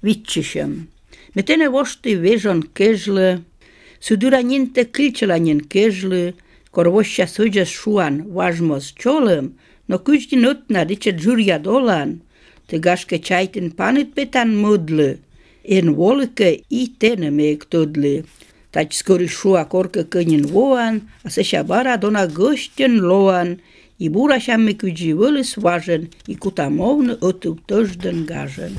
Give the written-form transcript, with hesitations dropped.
vitšisem. Me tene vosti vežon kežle, sudura niente kilčelanjen kežle, korvošća suđas šuan važmos čolem, no kuždi nutna diče džurja dolan, te gaške čajten panit petan mudle, en volike I tene meek tudle. Tać skori šua korke kënjen voan, a se šabara dona găștjen loan, I bura šamme kuđi vălis važen, I kutamovne otu tăžden gažen.